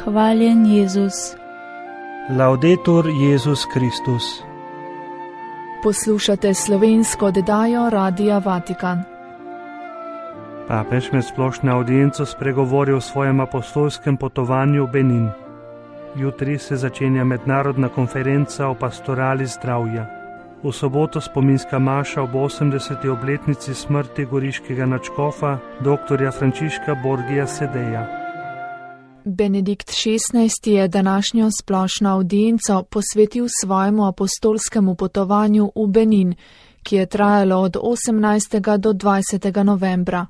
Hvaljen Jezus. Laudetur Jezus Kristus. Poslušate slovensko oddajo Radia Vatikan. Papež med splošno audienco spregovori o svojem apostolskem potovanju v Benin. Jutri se začenja mednarodna konferenca o pastorali zdravja. V soboto spominska maša ob 80. obletnici smrti goriškega nadškofa dr. Frančiška Borgija Sedeja. Benedikt XVI je današnjo splošno audienco posvetil svojemu apostolskemu potovanju v Benin, ki je trajalo od 18. do 20. novembra.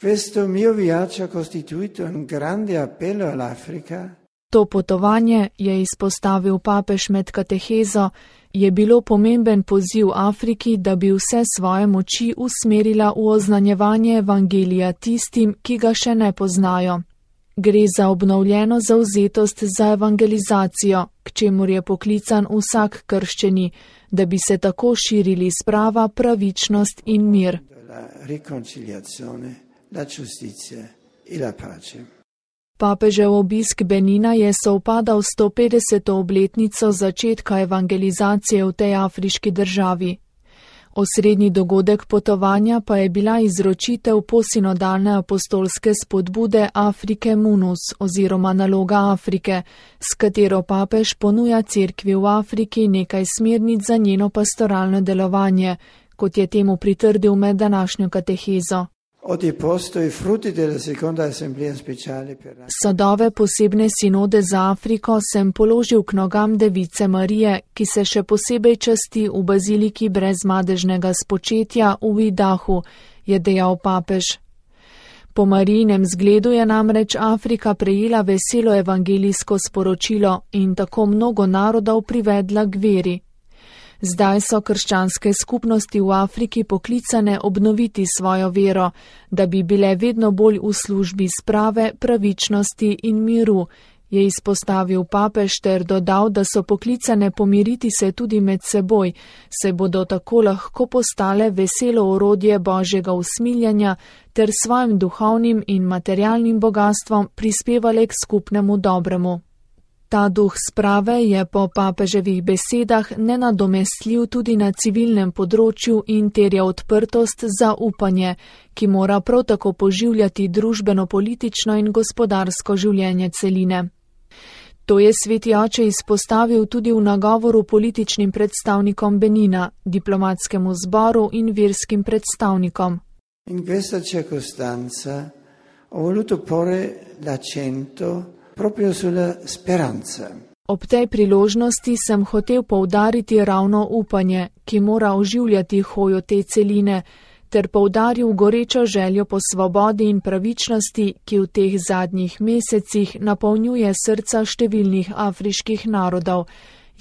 Questo mio viaggio ha costituito un grande appello all'Africa. To potovanje, je izpostavil papež med katehezo, je bilo pomemben poziv Afriki, da bi vse svoje moči usmerila v oznanjevanje evangelija tistim, ki ga še ne poznajo. Gre za obnovljeno zavzetost za evangelizacijo, k čemur je poklican vsak krščeni, da bi se tako širili sprava, pravičnost in mir. Papežev obisk Benina je sovpadal s 150. obletnico začetka evangelizacije v tej afriški državi. Osrednji dogodek potovanja pa je bila izročitev posinodalne apostolske spodbude Afrike Munus oziroma naloga Afrike, s katero papež ponuja cerkvi v Afriki nekaj smernic za njeno pastoralno delovanje, kot je temu pritrdil med današnjo katehezo. Sadove posebne sinode za Afriko sem položil k nogam Device Marije, ki se še posebej časti v baziliki brezmadežnega spočetja v Idahu, je dejal papež. Po Marijinem zgledu je namreč Afrika prejela veselo evangelijsko sporočilo in tako mnogo narodov privedla k veri. Zdaj so krščanske skupnosti v Afriki poklicane obnoviti svojo vero, da bi bile vedno bolj v službi sprave, pravičnosti in miru, je izpostavil papež ter dodal, da so poklicane pomiriti se tudi med seboj, se bodo tako lahko postale veselo orodje Božjega usmiljanja ter svojim duhovnim in materialnim bogastvom prispevale k skupnemu dobremu. Ta duh sprave je po papeževih besedah nenadomestljiv tudi na civilnem področju in terja odprtost za upanje, ki mora prav tako poživljati družbeno-politično in gospodarsko življenje celine. To je sveti oče izpostavil tudi v nagovoru političnim predstavnikom Benina, diplomatskemu zboru in verskim predstavnikom. In questa circostanza ho voluto porre l'accento proprio sulla speranza. Ob tej priložnosti sem hotel poudariti ravno upanje, ki mora oživljati hojo te celine, ter poudaril gorečo željo po svobodi in pravičnosti, ki v teh zadnjih mesecih napolnjuje srca številnih afriških narodov,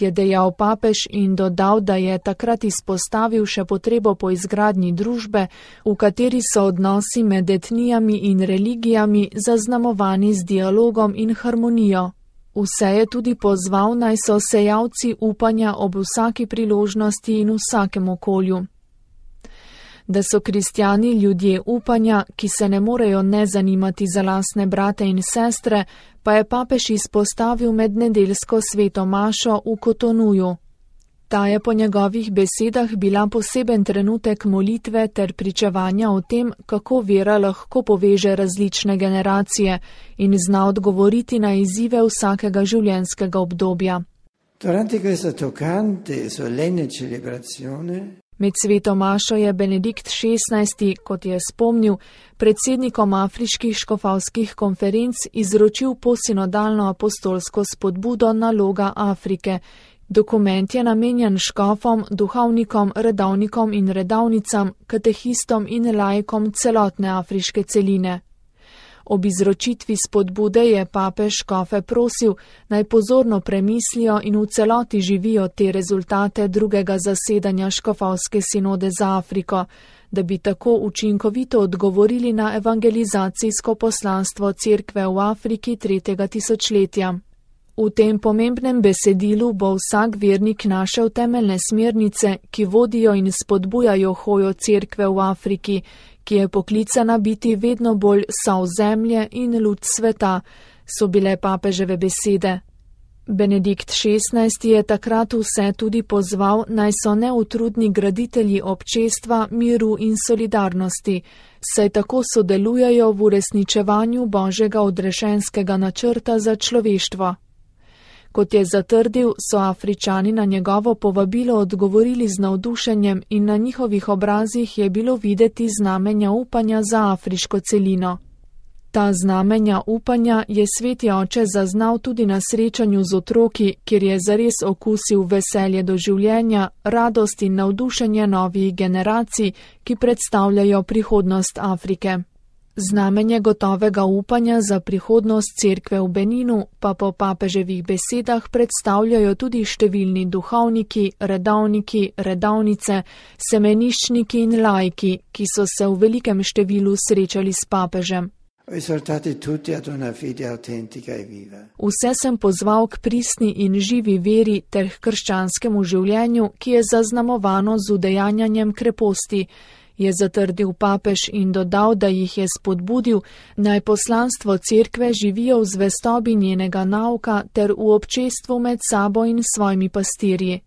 je dejal papež in dodal, da je takrat izpostavil še potrebo po izgradnji družbe, v kateri so odnosi med etnijami in religijami zaznamovani z dialogom in harmonijo. Vse je tudi pozval, naj so sejalci upanja ob vsaki priložnosti in vsakem okolju. Da so kristjani ljudje upanja, ki se ne morejo ne zanimati za lastne brate in sestre, pa je papež izpostavil med nedeljsko sveto mašo v Kotonuju. Ta je po njegovih besedah bila poseben trenutek molitve ter pričevanja o tem, kako vera lahko poveže različne generacije in zna odgovoriti na izzive vsakega življenjskega obdobja. Durante questa toccante e solenne celebrazione Med sveto mašo je Benedikt XVI, kot je spomnil, predsednikom afriških škofovskih konferenc izročil posinodalno apostolsko spodbudo naloga Afrike. Dokument je namenjen škofom, duhovnikom, redovnikom in redovnicam, katehistom in laikom celotne afriške celine. Ob izročitvi spodbude je papež škofe prosil, naj pozorno premislijo in v celoti živijo te rezultate drugega zasedanja škofovske sinode za Afriko, da bi tako učinkovito odgovorili na evangelizacijsko poslanstvo cerkve v Afriki 3. tisočletja. V tem pomembnem besedilu bo vsak vernik našel temeljne smernice, ki vodijo in spodbujajo hojo cerkve v Afriki, ki je poklicana biti vedno bolj sol zemlje in luč sveta, so bile papeževe besede. Benedikt XVI je takrat vse tudi pozval, naj so neutrudni graditelji občestva, miru in solidarnosti, saj tako sodelujejo v uresničevanju Božjega odrešenskega načrta za človeštvo. Kot je zatrdil, so Afričani na njegovo povabilo odgovorili z navdušenjem in na njihovih obrazih je bilo videti znamenja upanja za afriško celino. Ta znamenja upanja je sveti oče zaznal tudi na srečanju z otroki, kjer je zares okusil veselje do življenja, radost in navdušenje novih generacij, ki predstavljajo prihodnost Afrike. Znamenje gotovega upanja za prihodnost cerkve v Beninu pa po papeževih besedah predstavljajo tudi številni duhovniki, redovniki, redovnice, semeniščniki in laiki, ki so se v velikem številu srečali s papežem. Vse sem pozval k pristni in živi veri ter k krščanskemu življenju, ki je zaznamovano z udejanjanjem kreposti, je zatrdil papež in dodal, da jih je spodbudil, naj poslanstvo cerkve živijo v zvestobi njenega nauka ter v občestvu med sabo in svojimi pastirji.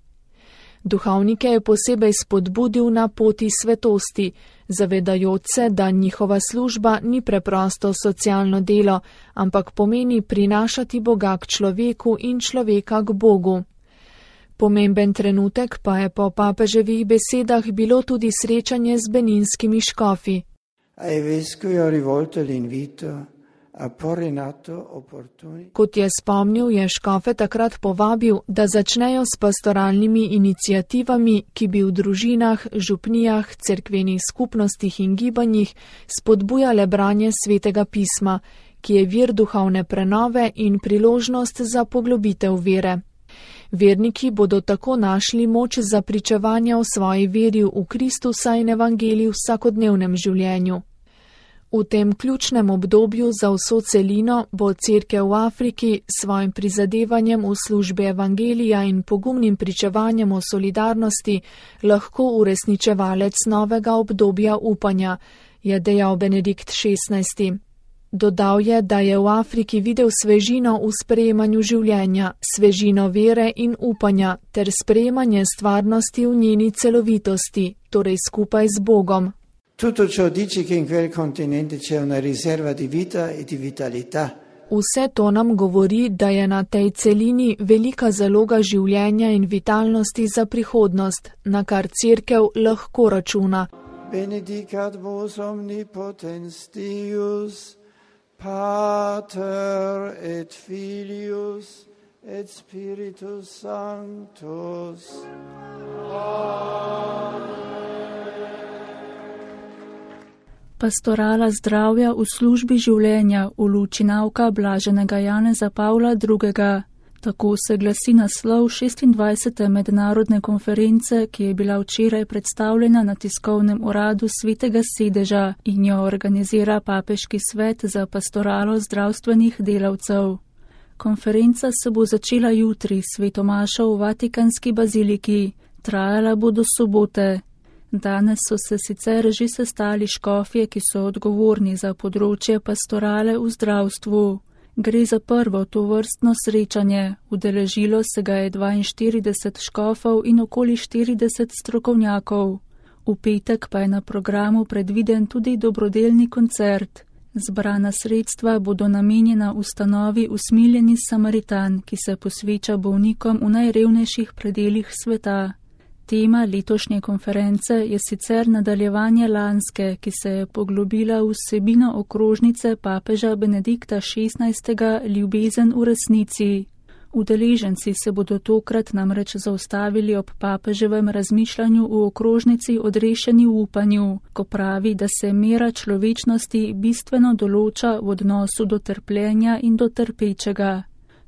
Duhovnike je posebej spodbudil na poti svetosti, zavedajoč se, da njihova služba ni preprosto socialno delo, ampak pomeni prinašati Boga k človeku in človeka k Bogu. Pomemben trenutek pa je po papeževih besedah bilo tudi srečanje z beninskimi škofi. Kot je spomnil, je škofe takrat povabil, da začnejo s pastoralnimi iniciativami, ki bi v družinah, župnijah, cerkvenih skupnostih in gibanjih spodbujale branje svetega pisma, ki je vir duhovne prenove in priložnost za poglobitev vere. Verniki bodo tako našli moč za pričevanje o svoji veri v Kristusa in evangeliji v vsakodnevnem življenju. V tem ključnem obdobju za vso celino bo cerkev v Afriki svojim prizadevanjem v službi evangelija in pogumnim pričevanjem o solidarnosti lahko uresničevalec novega obdobja upanja, je dejal Benedikt XVI. Dodal je, da je v Afriki videl svežino v sprejemanju življenja, svežino vere in upanja ter sprejemanje stvarnosti v njeni celovitosti, torej skupaj z Bogom. Tutto ciò dice che in quel continente c'è una riserva di vita e di vitalità. Vse to nam govori, da je na tej celini velika zaloga življenja in vitalnosti za prihodnost, na kar cerkev lahko računa. Benedicat vos omnipotens Deus, Pater et Filius et Spiritus Sanctus. Pastorala zdravja v službi življenja v luči nauka blaženega Janeza Pavla II. Tako se glasi naslov 26. mednarodne konference, ki je bila včeraj predstavljena na tiskovnem uradu Svetega sedeža in jo organizira Papeški svet za pastoralo zdravstvenih delavcev. Konferenca se bo začela jutri s svetomašo v Vatikanski baziliki, trajala bo do sobote. Danes so se sicer že sestali škofje, ki so odgovorni za področje pastorale v zdravstvu. Gre za prvo tovrstno srečanje, udeležilo se ga je 42 škofov in okoli 40 strokovnjakov. V petek pa je na programu predviden tudi dobrodelni koncert. Zbrana sredstva bodo namenjena ustanovi Usmiljeni Samaritan, ki se posveča bolnikom v najrevnejših predelih sveta. Tema letošnje konference je sicer nadaljevanje lanske, ki se je poglobila v vsebino okrožnice papeža Benedikta XVI. Ljubezen v resnici. Udeleženci se bodo tokrat namreč zaustavili ob papeževem razmišljanju v okrožnici Odrešeni v upanju, ko pravi, da se mera človečnosti bistveno določa v odnosu do trpljenja in do trpečega.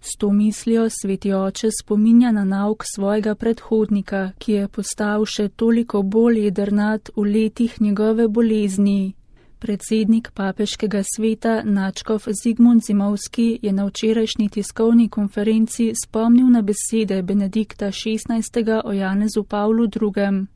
S to mislijo sveti oče spominja na nauk svojega predhodnika, ki je postal še toliko bolj jedrnat v letih njegove bolezni. Predsednik papeškega sveta nadškof Zigmund Zimovski je na včerajšnji tiskovni konferenci spomnil na besede Benedikta XVI. O Janezu Pavlu II.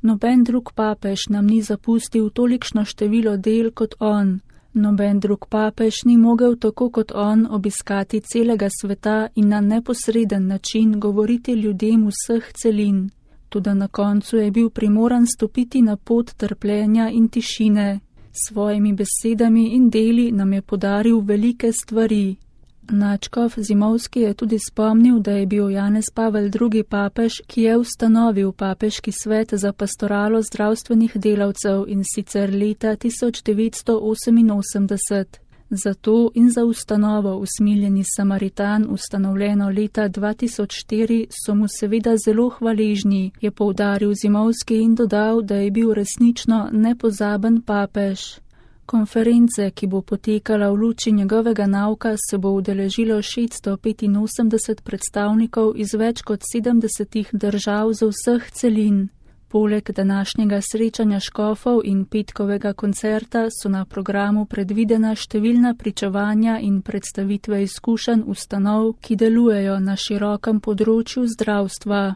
Noben drug papež nam ni zapustil tolikšno število del kot on. Noben drug papež ni mogel tako kot on obiskati celega sveta in na neposreden način govoriti ljudem vseh celin. Toda na koncu je bil primoran stopiti na pot trpljenja in tišine. S svojimi besedami in deli nam je podaril velike stvari. Nadškof Zimovski je tudi spomnil, da je bil Janez Pavel II. Papež, ki je ustanovil Papeški svet za pastoralo zdravstvenih delavcev in sicer leta 1988. Za to in za ustanovo Usmiljeni Samaritan, ustanovljeno leta 2004, so mu seveda zelo hvaležni, je poudaril Zimovski in dodal, da je bil resnično nepozaben papež. Konference, ki bo potekala v luči njegovega nauka, se bo udeležilo 685 predstavnikov iz več kot 70 držav z vseh celin. Poleg današnjega srečanja škofov in petkovega koncerta so na programu predvidena številna pričevanja in predstavitve izkušenj ustanov, ki delujejo na širokem področju zdravstva.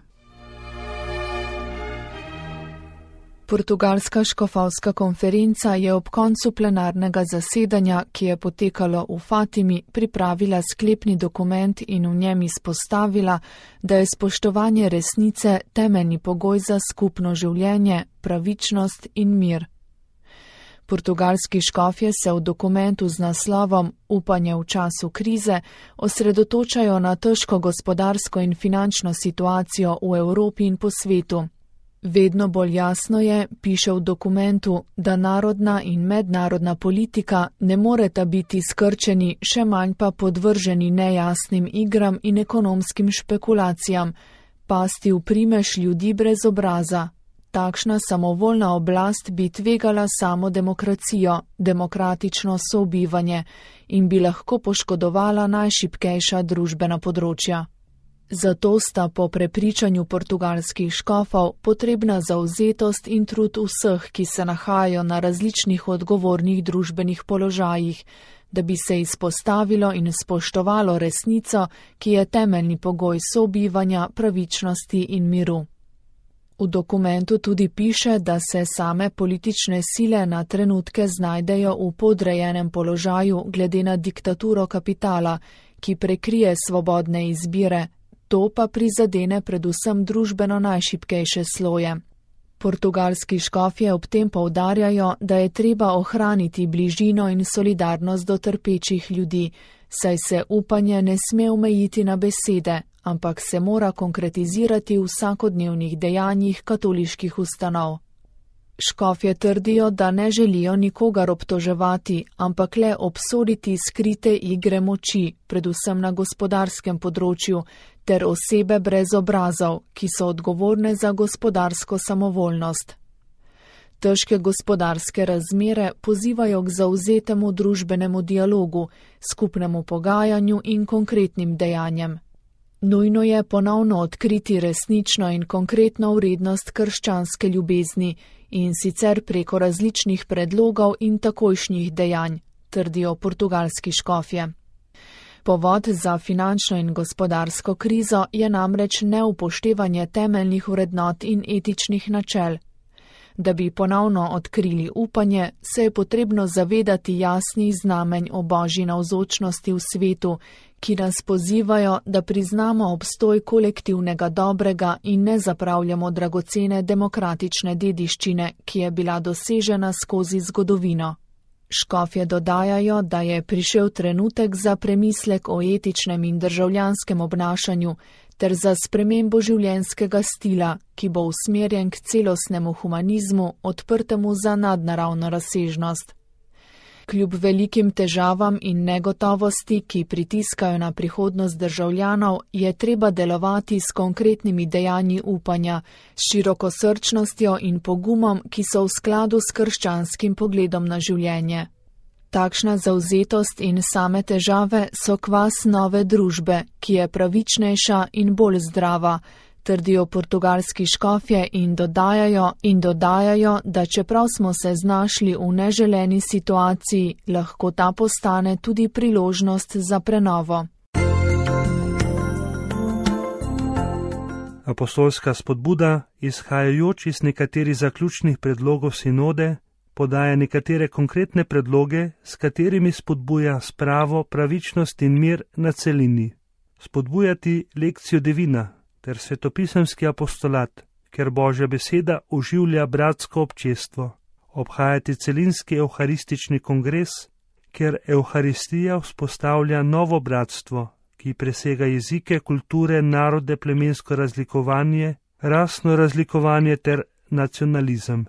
Portugalska škofovska konferenca je ob koncu plenarnega zasedanja, ki je potekalo v Fatimi, pripravila sklepni dokument in v njem izpostavila, da je spoštovanje resnice temeljni pogoj za skupno življenje, pravičnost in mir. Portugalski škofje se v dokumentu z naslovom Upanje v času krize osredotočajo na težko gospodarsko in finančno situacijo v Evropi in po svetu. Vedno bolj jasno je, piše v dokumentu, da narodna in mednarodna politika ne moreta biti skrčeni, še manj pa podvrženi nejasnim igram in ekonomskim špekulacijam, pasti v primež ljudi brez obraza. Takšna samovoljna oblast bi tvegala samo demokracijo, demokratično sobivanje in bi lahko poškodovala najšibkejša družbena področja. Zato sta po prepričanju portugalskih škofov potrebna zavzetost in trud vseh, ki se nahajajo na različnih odgovornih družbenih položajih, da bi se izpostavilo in spoštovalo resnico, ki je temeljni pogoj sobivanja, pravičnosti in miru. V dokumentu tudi piše, da se same politične sile na trenutke znajdejo v podrejenem položaju glede na diktaturo kapitala, ki prekrije svobodne izbire. To pa prizadene predvsem družbeno najšibkejše sloje. Portugalski škofje ob tem poudarjajo, da je treba ohraniti bližino in solidarnost do trpečih ljudi, saj se upanje ne sme omejiti na besede, ampak se mora konkretizirati v vsakodnevnih dejanjih katoliških ustanov. Škofje trdijo, da ne želijo nikogar obtoževati, ampak le obsoditi skrite igre moči, predvsem na gospodarskem področju, ter osebe brez obrazov, ki so odgovorne za gospodarsko samovoljnost. Težke gospodarske razmere pozivajo k zavzetemu družbenemu dialogu, skupnemu pogajanju in konkretnim dejanjem. Nujno je ponovno odkriti resnično in konkretno vrednost krščanske ljubezni, in sicer preko različnih predlogov in takojšnjih dejanj, trdijo portugalski škofje. Povod za finančno in gospodarsko krizo je namreč neupoštevanje temeljnih vrednot in etičnih načel. Da bi ponovno odkrili upanje, se je potrebno zavedati jasnih znamenj o Božji navzočnosti v svetu, ki nas pozivajo, da priznamo obstoj kolektivnega dobrega in ne zapravljamo dragocene demokratične dediščine, ki je bila dosežena skozi zgodovino. Škofje dodajajo, da je prišel trenutek za premislek o etičnem in državljanskem obnašanju ter za spremembo življenjskega stila, ki bo usmerjen k celostnemu humanizmu, odprtemu za nadnaravno razsežnost. Kljub velikim težavam in negotovosti, ki pritiskajo na prihodnost državljanov, je treba delovati s konkretnimi dejanji upanja, s širokosrčnostjo in pogumom, ki so v skladu s krščanskim pogledom na življenje. Takšna zavzetost in same težave so kvas nove družbe, ki je pravičnejša in bolj zdrava, trdijo portugalski škofje in dodajajo, da čeprav smo se znašli v neželeni situaciji, lahko ta postane tudi priložnost za prenovo. Apostolska spodbuda, izhajajoč iz nekaterih zaključnih predlogov sinode, podaja nekatere konkretne predloge, s katerimi spodbuja spravo, pravičnost in mir na celini. Spodbujati lekcijo divina ter svetopisemski apostolat, ker Božja beseda oživlja bratsko občestvo. Obhajati celinski evharistični kongres, ker evharistija vzpostavlja novo bratstvo, ki presega jezike, kulture, narode, plemensko razlikovanje, rasno razlikovanje ter nacionalizem.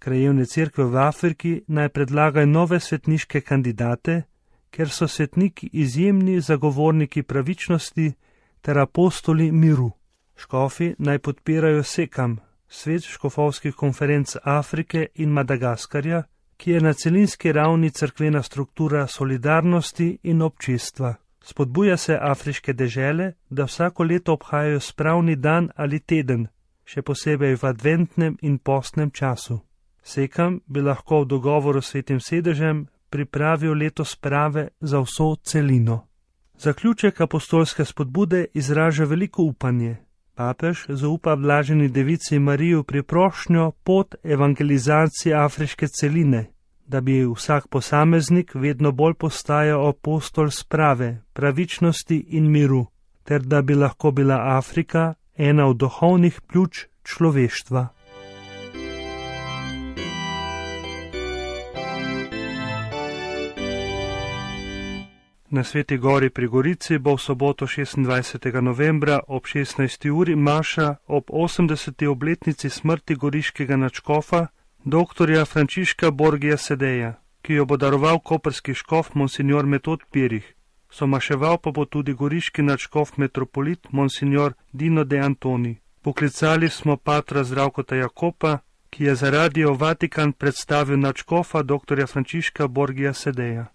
Krajevne cerkve v Afriki naj predlagajo nove svetniške kandidate, ker so svetniki izjemni zagovorniki pravičnosti ter apostoli miru. Škofi naj podpirajo SEKAM, Svet škofovskih konferenc Afrike in Madagaskarja, ki je na celinski ravni cerkvena struktura solidarnosti in občestva. Spodbuja se afriške dežele, da vsako leto obhajajo spravni dan ali teden, še posebej v adventnem in postnem času. SEKAM bi lahko v dogovoru s Svetim sedežem pripravil leto sprave za vso celino. Zaključek apostolske spodbude izraža veliko upanje. Papež zaupa blaženi devici Mariji priprošnjo pot evangelizacije afriške celine, da bi vsak posameznik vedno bolj postajal apostol sprave, pravičnosti in miru, ter da bi lahko bila Afrika ena od duhovnih pljuč človeštva. Na Sveti gori pri Gorici bo v soboto 26. novembra ob 16. uri maša ob 80. obletnici smrti goriškega nadškofa dr. Frančiška Borgija Sedeja, ki jo bo daroval koprski škof monsignor Metod Pirih. Somaševal pa bo tudi goriški nadškof metropolit monsignor Dino de Antoni. Poklicali smo patra Zdravkota Jakopa, ki je za Radio Vatikan predstavil nadškofa dr. Frančiška Borgija Sedeja.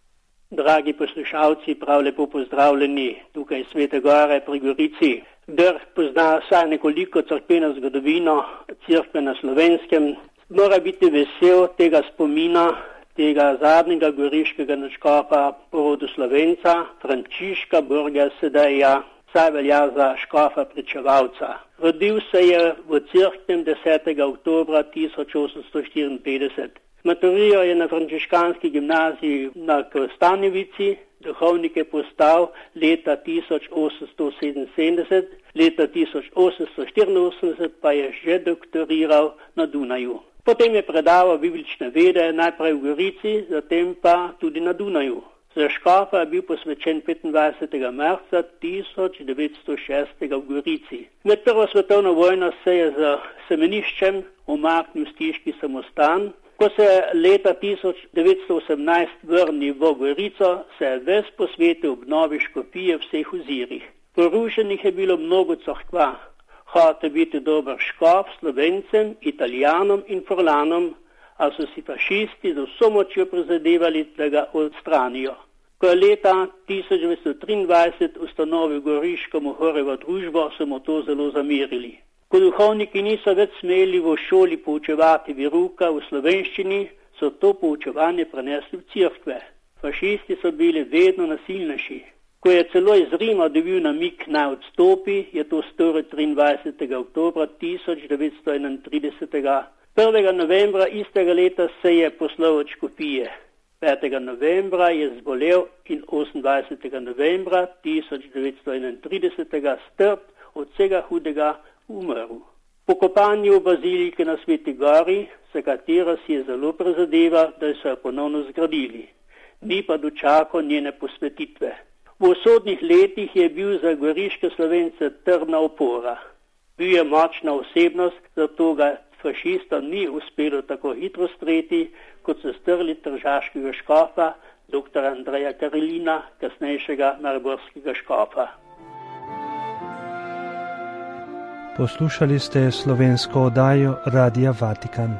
Dragi poslušalci, prav lepo pozdravljeni tukaj iz Svete Gore pri Gorici. Kdor pozna vsaj nekoliko cerkveno zgodovino, cerkve na Slovenskem, mora biti vesel tega spomina, tega zadnjega goriškega nadškofa po rodu Slovenca, Frančiška Borgija Sedeja, saj velja za škofa pričevalca. Rodil se je v cerknem 10. oktobra 1854. Maturiral je na frančiškanski gimnaziji na Kostanjevici, duhovnik je postal leta 1877, leta 1884 pa je že doktoriral na Dunaju. Potem je predaval biblične vede najprej v Gorici, zatem pa tudi na Dunaju. Za škofa je bil posvečen 25. marca 1906 v Gorici. Med prvo svetovno vojno se je z semeniščem umaknil v stiški samostan. Ko se je leta 1918 vrnil v Gorico, se je ves posvetil obnovi škofije v vseh ozirih. Porušenih je bilo mnogo cerkva. Hotel biti dober škof Slovencem, Italijanom in Furlanom, a so si fašisti z vso močjo prizadevali, da ga odstranijo. Ko je leta 1923 ustanovil goriško Mohorjevo družbo, so mu to zelo zamerili. Ko duhovniki niso več smeli v šoli poučevati veruka v slovenščini, so to poučevanje prenesli v cerkve. Fašisti so bili vedno nasilnejši. Ko je celo iz Rima dobil namig naj odstopi, je to storil 23. oktobra 1931. 1. novembra istega leta se je poslal od škofije. 5. novembra je zbolel in 28. novembra 1931 strp od vsega hudega umrl. Po kopanju v baziliki na Sveti Gori, za katero si je zelo prizadeval, da so jo ponovno zgradili, ni pa dočakal njene posvetitve. V usodnih letih je bil za goriške Slovence trdna opora. Bil je močna osebnost, zato ga fašistom ni uspelo tako hitro streti, kot so strli tržaškega škofa, dr. Andreja Karolina, kasnejšega mariborskega škofa. Poslušali ste slovensko oddajo Radia Vatikan.